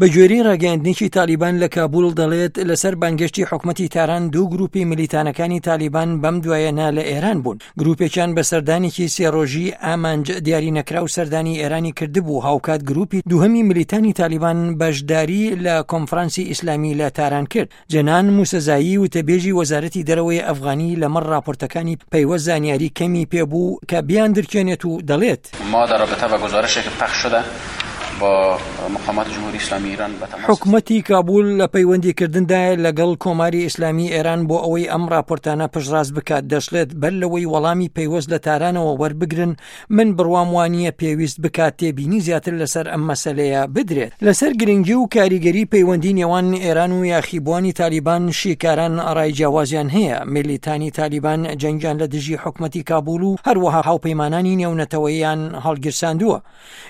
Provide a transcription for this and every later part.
بە گوێرەی ڕاگەیاندنێکی تالیبان لە کابول دەڵێت لەسەر بانگێشتی حکومەتی تاران دوو گروپی ملیتانەکانی تالیبان بەم دوایەنە لە ئێران بوون. گروپێکیان بە سەردانێکی سێ ڕۆژی ئامانج دیاری نەکراو سەردانی ئێرانی کردبوو، هاوکات گروپی دووهەمی ملیتانی تالیبان بەشداری لە کۆنفرانسی ئیسلامی لە تاران کرد. جەنان موسەزایی وتەبێژی وەزارەتی دەرەوەی ئەفغانی لەمەڕ ڕاپۆرتەکانی پەیوەست زانیاری کەمی پێبوو کە بیاندرکێنێت و دەڵێت. ما در رابطه با گزارشی که پخش شده با مقامات جمهوری اسلامی ایران به تماس حکومەتی کابول لە پەیوەندی کردندایە لەگەڵ کۆماری ئیسلامی ئێران بۆ ئەوەی ئەم ڕاپۆرتانە پشتڕاست بکات، دەشڵێت بەر لەوەی وەڵامی پەیوەست لە تارانەوە وەربگرن من بڕوام وانییە پێویست بکات تێبینی زیاتر لەسەر ئەم مەسەلەیە بدرێت. لەسەر گرنگی و کاریگەری پەیوەندی نێوان ئێران و یاخیبووانی تالیبان شیکاران ڕای جیاوازیان هەیە، میلیتانی تالیبان جەنگیان لە دژی حکومەتی کابول و هەروەها هاوپەیمانانی نێونەتەوەییان هەڵگیرساندووە.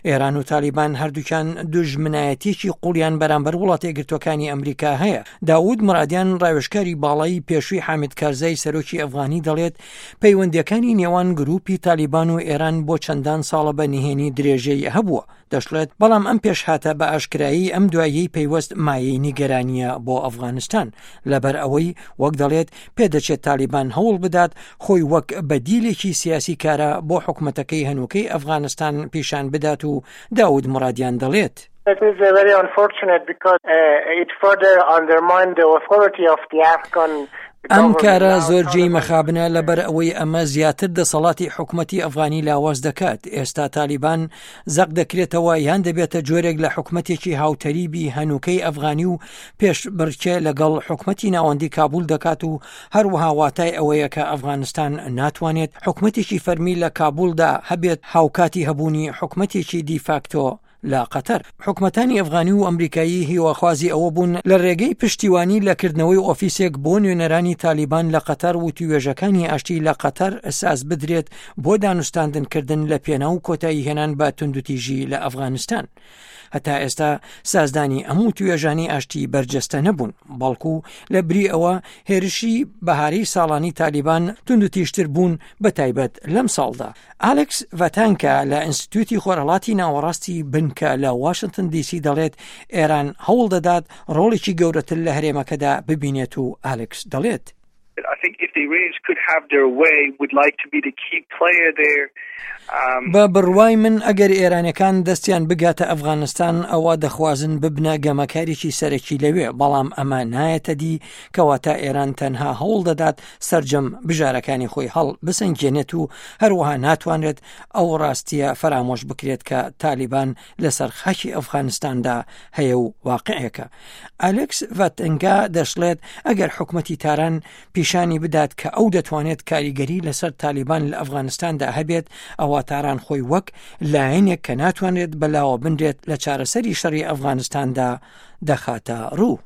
ئێران و تالیبان هەردووکیان دوژمنایەتیەکی قوڵیان بەرامبەر وڵاتە یەکگرتووەکانی ئەمریکا هەیە. داود مرادیان ڕاوێژکاری باڵای پێشووی حامد کارزای سەرۆکی ئەفغانی دەڵێت پەیوەندیەکانی نێوان گروپی تالیبان و ئێران بۆ چەندان ساڵە بە نهێنی درێژەی هەبووە. دەشڵێت بەڵام ئەم پێشهاتە بە ئاشکرایی ئەم دواییەی پەیوەست مایەی نیگەرانیە بۆ ئەفغانستان لەبەر ئەوەی وەک دەڵێت پێدەچێت تالیبان هەوڵ بدات خۆی وەک بەدیلێکی سیاسی کارا بۆ حکومەتەکەی هەنووکەی ئەفغانستان پیشان بدات و داود مرادیان دەڵێت. It is very unfortunate because it further undermined the authority of the Afghan ئەم کارە زۆر جێی مەخابنە لەبەر ئەوەی ئەمە زیاتر دەسەڵاتی حکومەتی ئەفغانی لاواز دەکات ئێستا تالیبان زەق دەکرێتەوە یان دەبێتە جۆرێک لە حکومەتێکی هاوتەریبی هەنووکەی ئەفغانی و پێشبڕکێ لەگەڵ حکومەتی ناوەندی کابول دەکات و هەروەها واتای ئەوەیە کە ئەفغانستان ناتوانێت حکومەتێکی فەرمی لە کابولدا هەبێت هاوکاتی هەبوونی حکومەتێکی دیفاکتۆ لە قەتەر. حکومەتانی ئەفغانی و ئەمریکایی هیواخوازی ئەوە بوون لە رێگەی پشتیوانی لە کردنەوەی ئۆفیسێک بۆ نوێنەرانی تالیبان لە قەتەر وتووێژەکانی ئاشتی لە قەتەر ساز بدرێت بۆ دانوستاندن کردن لە پێناو کۆتایی هێنان بە توندوتیژی لە ئەفغانستان. هەتا ئێستا سازدانی ئەم وتوێژانی ئاشتی بەرجەستە نەبوون، بەڵکو لە بری ئەوە هێرشی بەهاری ساڵانی تالیبان توندوتیژتر بوون بە تایبەت لەم ساڵدا. ئالێکس ڤاتانکا لە ئینستیتوتی خۆرهەڵاتی ناوەڕاستی بنکە لە واشنتن دیسی دەڵێت ئێران هەوڵ دەدات ڕۆڵێکی گەورەتر لە هەرێمەکەدا ببینێت و ئالێکس دەڵێت. بە بڕوای من ئەگەر ئێرانەکان دەستیان بگاتە ئەفغانستان ئەوە دەخوازن ببنە گەمەکارێکی سەرەکی لەوێ بەڵام ئەمە نایەتە دی کەواتە ئێران تەنها هەوڵ دەدات سەرجەم بژارەکانی خۆی هەڵ بسەنگێنێت و هەروەها ناتوانرێت ئەو ڕاستیە فەرامۆش بکرێت کە تالیبان لەسەر خاکی ئەفغانستاندا هەیە و واقعێکە. ئالێکس ڤاتنگا دەشڵێت ئەگەر حکومەتی تاران پیشانی بدات کە ئەو دەتوانێت کاریگەری لەسەر تالیبان لە ئەفغانستاندا هەبێت ئەوا تاران خۆی وەک لایەنێک کە ناتوانرێت بەلاوە بنرێت لە چارەسەری شەڕی ئەفغانستاندا دەخاتە ڕوو.